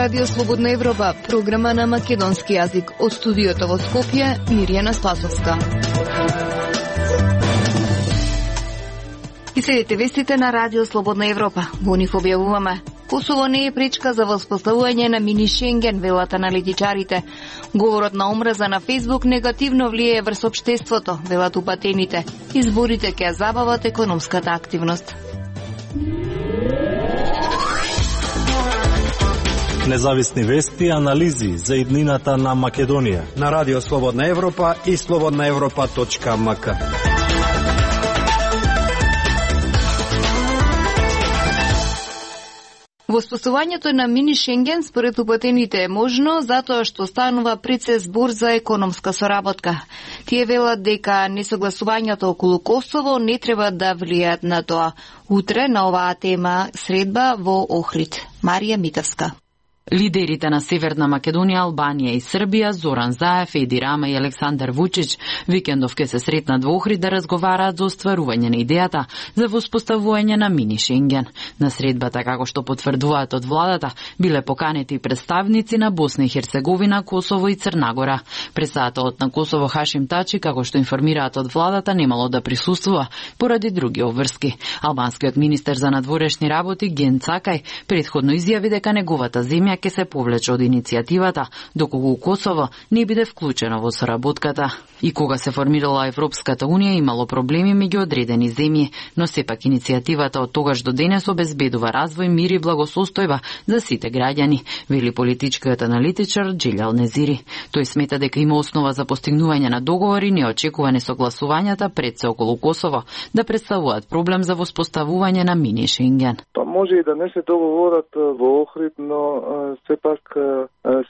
Радио Слободна Европа, програма на македонски јазик. Од студиото во Скопје, Мирјана Спасовска. И следите вестите на Радио Слободна Европа. Во нив објавуваме: Косово не е пречка за воспоставување на мини Шенген, велат аналитичарите. Говорот на омраза на Фејсбук негативно влијае врз општеството, велат упатените. Изборите ќе забават економската активност. Независни вести и анализи за иднината на Македонија на Радио Слободна Европа и slobodnaevropa.mk. Воспоставувањето на мини Шенген според упатените е можно затоа што станува процес збор за економска соработка. Тие велат дека несогласувањето околу Косово не треба да влијаат на тоа. Утре на оваа тема средба во Охрид. Марија Митевска. Лидерите на Северна Македонија, Албанија и Србија, Зоран Заев, Еди Рама и Александар Вучич, викендов ке се сретнат во Охрид да разговараат за остварување на идејата за воспоставување на мини Шенген. На средбата, како што потврдуваат од владата, биле поканети представници на Босна и Херцеговина, Косово и Црна Гора. Председателот на Косово Хашим Тачи, како што информираат од владата, немало да присуствува поради други обврски. Албанскиот министер за надворешни работи Ген Цакај претходно изјави дека неговата земја ќе се повлече од иницијативата, доколку Косово не биде вклучено во соработката. И кога се формирала Европската Унија, имало проблеми меѓу одредени земји, но сепак иницијативата од тогаш до денес обезбедува развој, мир и благосостојба за сите граѓани, вели политичкиот аналитичар Джилјал Незири. Тој смета дека има основа за постигнување на договори, не очекува несогласувањата пред се околу Косово да представуваат проблем за воспоставување на мини Шенген. Па може и да не се договорат во Охрид, но сепак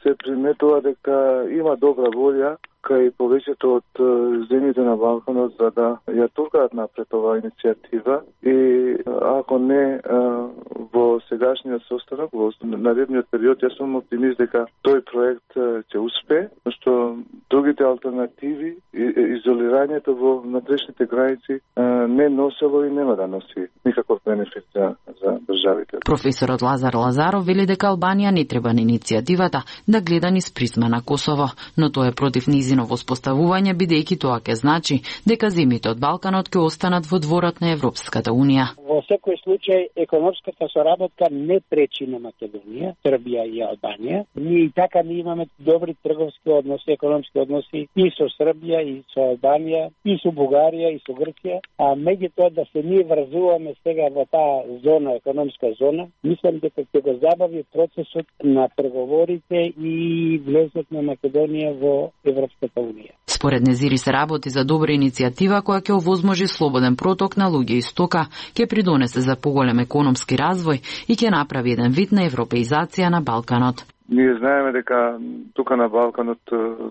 се приметува дека има добра волја кај повеќето од земјите на Балканот за да ја туркаат напред оваа иницијатива и ако не во сегашниот состанок, во наредниот период, јас сум оптимист дека тој проект ќе успее, што другите алтернативи, изолирањето во внатрешните граници не носело и нема да носи никаков бенефит за државите. Професорот Лазар Лазаров вели дека Албанија не треба на иницијативата да гледа низ призма на Косово, но тоа е против низино воспоставување, бидејќи тоа ќе значи дека земјите од Балканот ќе останат во дворот на Европската Унија. Во секој случај, економската соработка не пречи на Македонија, Србија и Албанија. Ние и така не имаме добри трговски односи, економски односи и со Србија, и со Албанија, и со Бугарија, и со Грција. А меѓутоа да се ние врзуваме сега во таа зона, економска зона, мислам дека ќе го забави процесот на преговорите и влезот на Македонија во Европската Унија. Според Незири се работи за добра иницијатива која ќе овозможи слободен проток на луѓе и стока, ќе придонесе за поголем економски развој и ќе направи еден вид на европеизација на Балканот. Ние знаеме дека тука на Балканот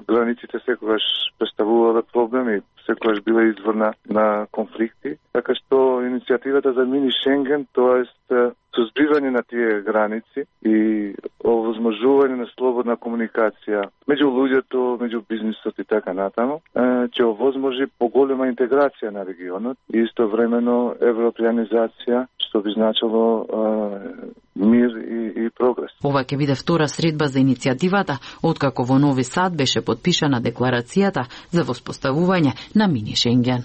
границите секогаш представувале проблеми, секогаш биле извор на конфликти, така што иницијативата за мини Шенген, тоест созбивање на тие граници и овозможување на слободна комуникација меѓу луѓето, меѓу бизнисот и така натаму, ќе овозможи поголема интеграција на регионот и истовремено европеанизација, што би значило мир и прогрес. Ова ќе биде втора средба за иницијативата, откако во Нови Сад беше подпишана декларацијата за воспоставување на мини Шенген.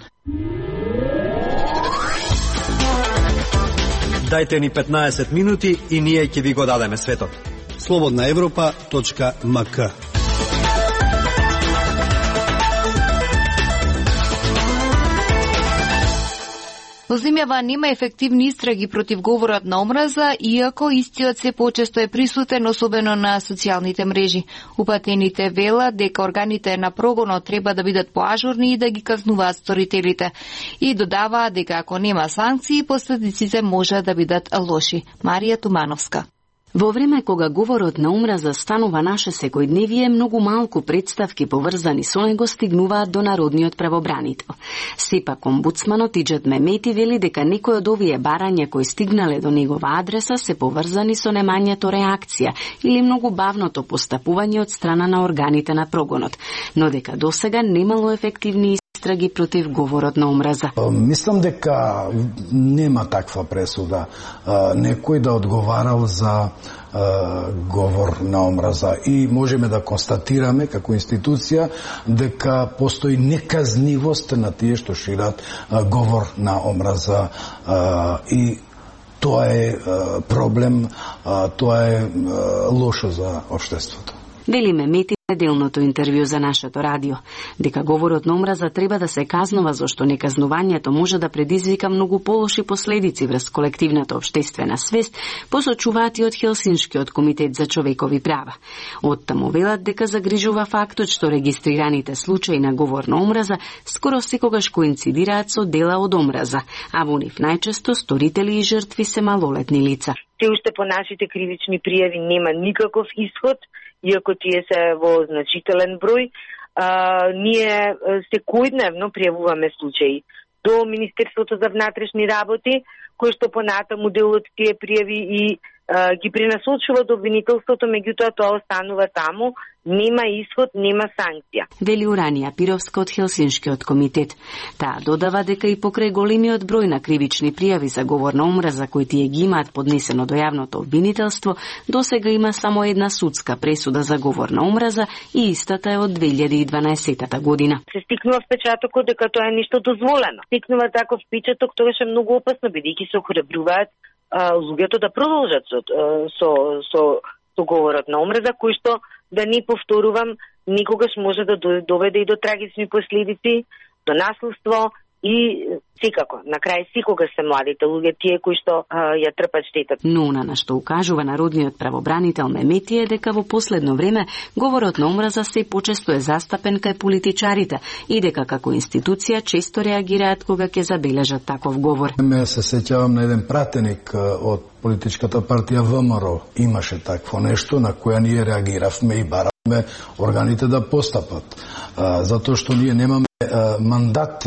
Дајте ни 15 минути и ние ќе ви го дадеме светот. slobodnaevropa.mk. Во земјава нема ефективни истраги против говорот на омраза, иако истиот се почесто е присутен, особено на социјалните мрежи. Упатените велат дека органите на прогонот треба да бидат поажурни и да ги казнуваат сторителите. И додаваат дека ако нема санкции, последиците може да бидат лоши. Марија Тумановска. Во време кога говорот на омраза станува наше секојдневие, многу малку представки поврзани со него стигнуваат до народниот правобранител. Сепак омбудсманот Иџет Мемети вели дека некои од овие барања кои стигнале до негова адреса се поврзани со немањето реакција или многу бавното постапување од страна на органите на прогонот, но дека досега немало ефективни истраги против говорот на омраза. Мислам дека нема таква пресуда. Некој да одговарал за говор на омраза и можеме да констатираме како институција дека постои неказнивост на тие што шират говор на омраза и тоа е проблем, тоа е лошо за општеството. Вели Мемети неделното интервју за нашето радио, дека говорот на омраза треба да се казнува зашто неказнувањето може да предизвика многу полоши последици врз колективната општествена свест, посочуваат и од Хелсиншкиот комитет за човекови права. Оттаму велат дека загрижува фактот што регистрираните случаи на говор на омраза скоро секогаш коинцидираат со дела од омраза, а во нив најчесто сторители и жртви се малолетни лица. Се уште по нашите кривични пријави нема никаков исход, иако тие се во значителен број. Ние секојдневно пријавуваме случаи до Министерството за внатрешни работи, кој што понатаму дел од тие пријави и ги пренасочува до обвинителството, меѓутоа тоа останува таму, нема исход, нема санкција. Вели Уранија Пировска од Хелсиншкиот комитет. Таа додава дека и покрај големиот број на кривични пријави за говор на омраза кои тие ги имаат поднесено до јавното обвинителство, досега има само една судска пресуда за говор на омраза и истата е од 2012 година. Се стикнува впечатокот дека тоа е нешто дозволено. Стикнува таков впечаток, тоа е многу опасно, бидејќи се охрабруваат луѓето да продолжат со говорот на омраза, кој што, да не повторувам, никогаш може да доведе и до трагични последици, до наследство и секако, на крај секогаш се младите луѓе тие кои што ја трпат штетата. Но на што укажува народниот правобранител Мемети е дека во последно време говорот на омраза се почесто е застапен кај политичарите и дека како институција често реагираат кога ќе забележат таков говор. Ме се сеќавам на еден пратеник од политичката партија ВМРО. Имаше такво нешто на која ние реагиравме и баравме органите да постапат. Затоа што ние немаме мандат.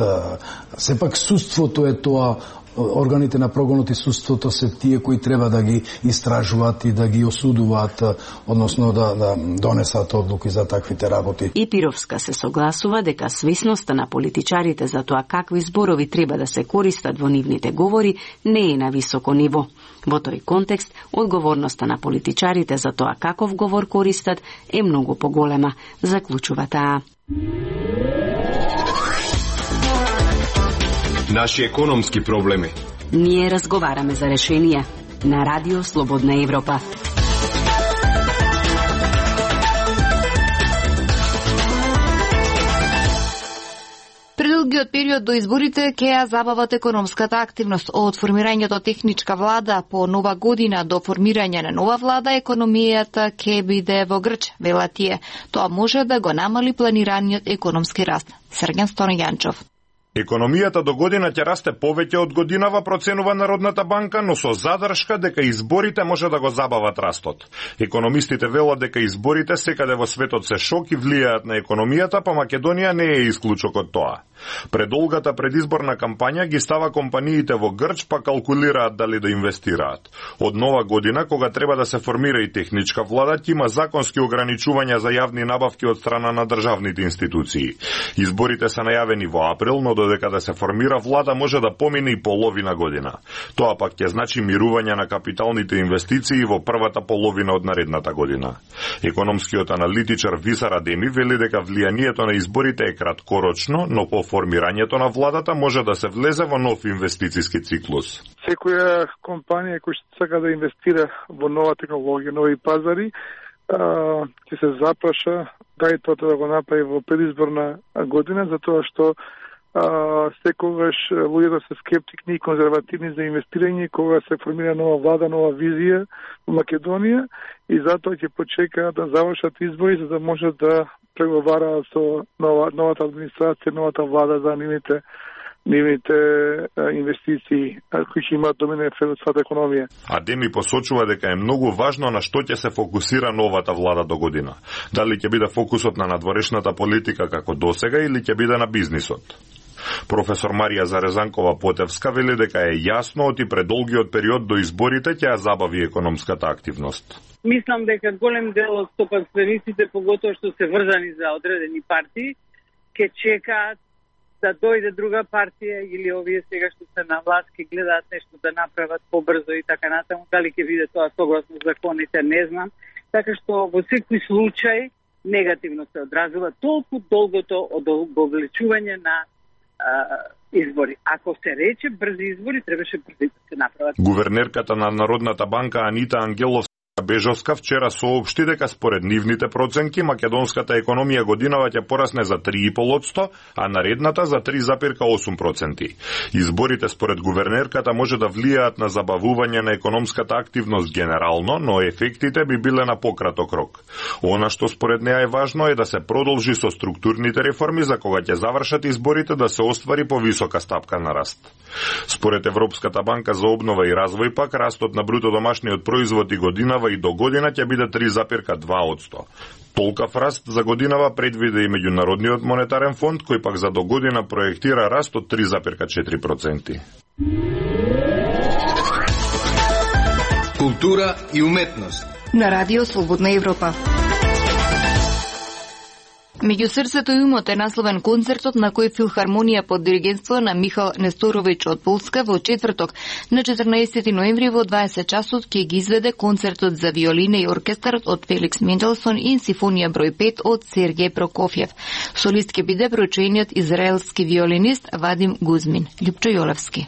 Сепак судството е тоа, органите на прогонот и судството се тие кои треба да ги истражуваат и да ги осудуваат, односно да донесат одлуки за таквите работи. И Пировска се согласува дека свесноста на политичарите за тоа какви зборови треба да се користат во нивните говори не е на високо ниво. Во тој контекст, одговорноста на политичарите за тоа каков говор користат е многу поголема, заклучува таа. Наши економски проблеми. Ние разговараме за решенија на Радио Слободна Европа. Предолгиот период до изборите ќе ја забават економската активност. Од формирањето техничка влада по нова година до формирање на нова влада, економијата ќе биде во грч, велат тие. Тоа може да го намали планираниот економски раст. Срген Стојанчов. Економијата до година ќе расте повеќе од годинава, проценува Народната банка, но со задршка дека изборите може да го забават растот. Економистите велат дека изборите секаде во светот се шок и влијаат на економијата, па Македонија не е исклучок од тоа. Предолгата предизборна кампања ги става компаниите во грч, па калкулираат дали да инвестираат. Од нова година, кога треба да се формира и техничка влада, ќе има законски ограничувања за јавни набавки од страна на државните институции. Изборите се најавени во април, но додека да се формира влада може да помине и половина година. Тоа пак ќе значи мирување на капиталните инвестиции во првата половина од наредната година. Економскиот аналитичар Висар Адеми вели дека влијанието на изборите е краткорочно, но по формирањето на владата може да се влезе во нов инвестициски циклус. Секоја компанија која што сака да инвестира во нова технологија, нови пазари, ќе се запраша дај тоа да го направи во предизборна година, затоа што секогаш луѓето се скептични и конзервативни за инвестирање кога се формира нова влада, нова визија во Македонија и затоа ќе почекаат да завршат избори за да може да преговараат со новата администрација, новата влада за нивните инвестиции кои ќе имаат доминен ефект од својата економија. Адеми посочува дека е многу важно на што ќе се фокусира новата влада до година. Дали ќе биде фокусот на надворешната политика како досега или ќе биде на бизнисот. Професор Марија Зарезанкова Потевска вели дека е јасно од и предолгиот период до изборите ќе ја забави економската активност. Мислам дека голем дел од стопанствениците, поготоа што се врзани за одредени партии, ќе чекаат да дојде друга партија или овие сега што се на власт ќе гледаат нешто да направат побрзо и така натаму. Дали ќе биде тоа согласно законите, не знам. Така што во секој случај негативно се одразува толку долгото одолговлечување на избори. Ако се рече брзи избори, требаше брзи да се направат. Гувернерката на Народната банка Анита Ангеловска-Бежовска вчера соопшти дека според нивните проценки македонската економија годинава ќе порасне за 3,5%, а наредната за 3,8%. Изборите според гувернерката може да влијаат на забавување на економската активност генерално, но ефектите би биле на пократок рок. Она што според неа е важно е да се продолжи со структурните реформи за кога ќе завршат изборите да се оствари повисока стапка на раст. Според Европската банка за обнова и развој пак растот на бруто домашниот производ и годинава и до година ќе биде 3,2%. Толкав раст за годинава предвиде и Меѓународниот монетарен фонд, кој пак за до година проектира раст од 3,4%. Култура и уметност на Радио Слободна Европа. Меѓу срцето и умот е насловен концертот на кој филхармонија под диригентство на Михал Несторовиќ од Полска во четврток на 14 ноември во 20 часот ќе ги изведе концертот за виолина и оркестар од Феликс Менделсон и симфонија број 5 од Сергеј Прокофјев. Солист ќе биде проучениот израелски виолинист Вадим Гузмин. Љупчо Јолевски.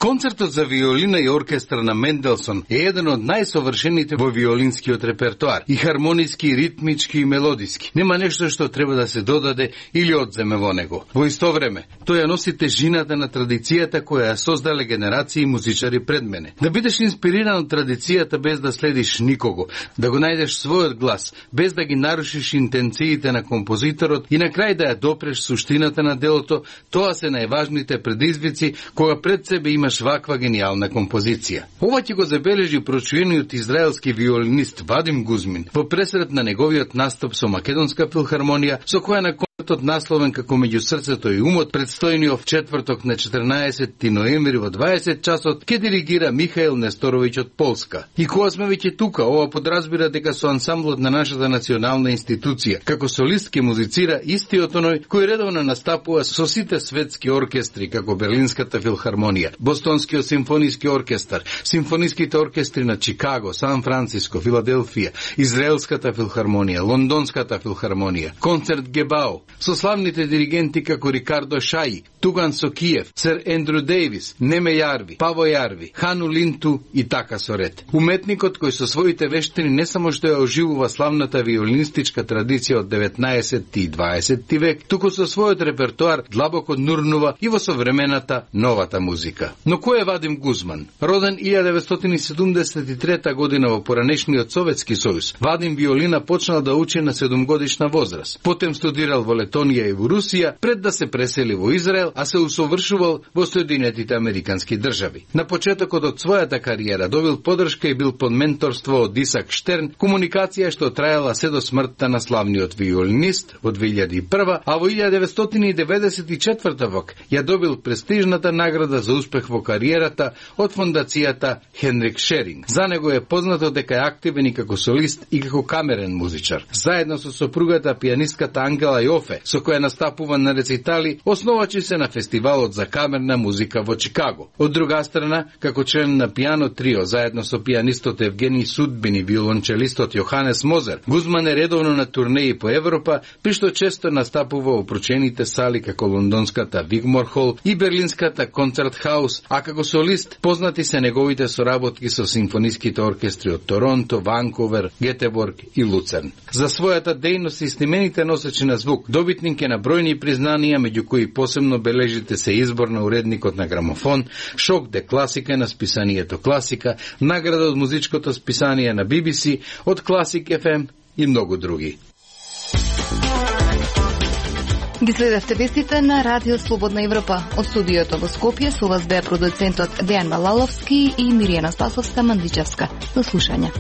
Концертот за виолина и оркестар на Менделсон е еден од најсовршените во виолинскиот репертоар, и хармониски, и ритмички, и мелодиски. Нема нешто што треба да се додаде или одземе во него. Во исто време, тој ја носи тежината на традицијата која ја создале генерации музичари пред мене. Да бидеш инспириран од традицијата без да следиш никого, да го најдеш својот глас, без да ги нарушиш интенциите на композиторот и на крај да ја допреш суштината на делото, тоа се најважните предизвици кога пред себе имаш ваква гениална композиција. Ова ќе го забележи прочуениот израелски виолинист Вадим Гузмин во пресред на неговиот настап со Македонска филхармонија, со која на концертот насловен како Меѓу срцето и умот, предстојниот четврток на 14 ноември во 20 часот, ќе диригира Михаил Несторовиќ од Полска. И кога сме веќе тука, ова подразбира дека со ансамблот на нашата национална институција, како солист ќе музицира истиот оној кој редовно настапува со сите светски оркестри, како Берлинската филхармонија, Бостонскиот симфониски оркестар, симфониските оркестри на Чикаго, Сан Франциско, Филаделфија, Израелската филхармонија, Лондонската филхармонија, концерт Гебао, со славните диригенти како Рикардо Шаи, Туган Сокиев, Сер Ендрю Дејвис, Неме Јарви, Паво Јарви, Хану Линту и така со ред. Уметникот кој со своите вештини не само што ја оживува славната виолинистичка традиција од 19 и 20 век, туку со својот репертоар длабоко нурнува и во современата новата музика. Но кој е Вадим Гузман? Роден 1973 година во поранешниот Советски сојуз, Вадим виолина почнал да учи на 7-годишна возраст. Потем студирал во Летонија и во Русија, пред да се пресели во Израел, а се усовршувал во Соединетите Американски држави. На почетокот од својата кариера добил подршка и бил под менторство од Исак Штерн, комуникација што траела се до смртта на славниот виолинист во 2001, а во 1994 вок ја добил престижната награда за успех во кариерата од фондацијата Хенрик Шеринг. За него е познато дека е активен и како солист и како камерен музичар. Заедно со сопругата пианистката Ангела Јофе, со која настапува на рецитали, основачи се на фестивалот за камерна музика во Чикаго. Од друга страна, како член на пиано трио, заедно со пианистот Евгений Судбин и виолончелистот Јоханес Мозер, Гузман е редовно на турнеи по Европа, при што често настапува во прочените сали како лондонската Вигмор Хол и берлинската Концерт Хаус, а како солист познати се неговите соработки со симфониските оркестри од Торонто, Ванкувер, Гетеборг и Луцерн. За својата дејност и снимените носечи на звук, добитник е на бројни признанија, меѓу кои посебно бележите се избор на уредникот на грамофон, Шок де класика на списанието Класика, награда од музичкото списание на BBC, од Класик FM и многу други. Ги следевте вестите на Радио Слободна Европа. Од студиото во Скопје со вас беа продуцентот Дејан Малаловски и Миријана Спасовска-Мандичевска. До слушање.